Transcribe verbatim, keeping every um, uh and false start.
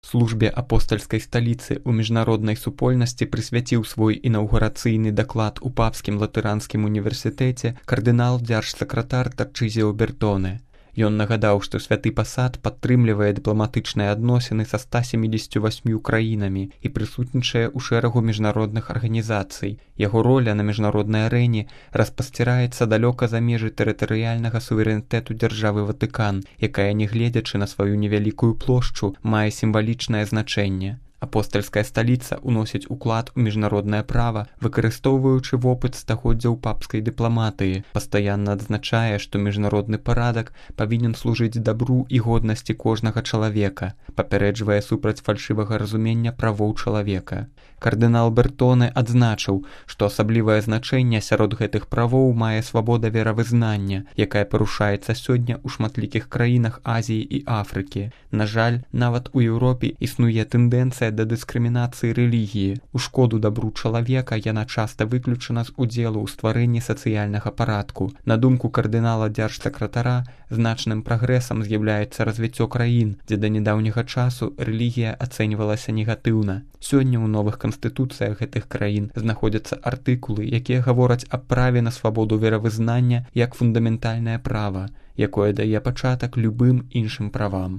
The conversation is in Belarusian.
службе апостальскай сталіцы ў міжнароднай супольнасці прысвяціў свой інаўгурацыйны даклад у папскім латыранскім універсітэце кардынал дзяржсакратар Тарчызіо Бертоне. Ён нагадаў, што святы пасад падтрымлівае дыпламатычныя адносіны са ста сямідзесятю васьмю краінамі і прысутнічае ў шэрагу міжнародных арганізацый. Яго роля на міжнароднай арэне распасціраецца далёка за межы тэрытарыяльнага суверэнітэту дзяржавы Ватыкан, якая, нягледзячы на сваю невялікую плошчу, мае сімвалічнае значэнне. Апостальская сталіца ўносіць уклад у міжнароднае права, выкарыстоўваючы вопыт стагоддзяў папскай дыпламатыі, пастаянна адзначае, што міжнародны парадак павінен служыць дабру і годнасці кожнага чалавека, папярэджвае супраць фальшывага разумення правоў чалавека. Кардынал Бертоне адзначыў, што асаблівае значэнне сярод гэтых правоў мае свабода веравызнання, якая парушаецца сёння ў шматлікіх краінах Азіі і Афрыкі. На жаль, нават у Еўропе існуе тэндэнцыя да дыскрымінацыі рэлігіі. У шкоду дабру чалавека яна часта выключана з удзелу ў стварэнні сацыяльнага парадку. На думку кардынала дзяржсакратара, значным прагрэсам з'яўляецца развіццё краін, дзе да нядаўняга часу рэлігія ацэньвалася негатыўна. Сёння ў новых канстытуцыях гэтых краін знаходзяцца артыкулы, якія гавораць аб праве на свабоду веравызнання як фундаментальнае права, якое дае пачатак любым іншым правам.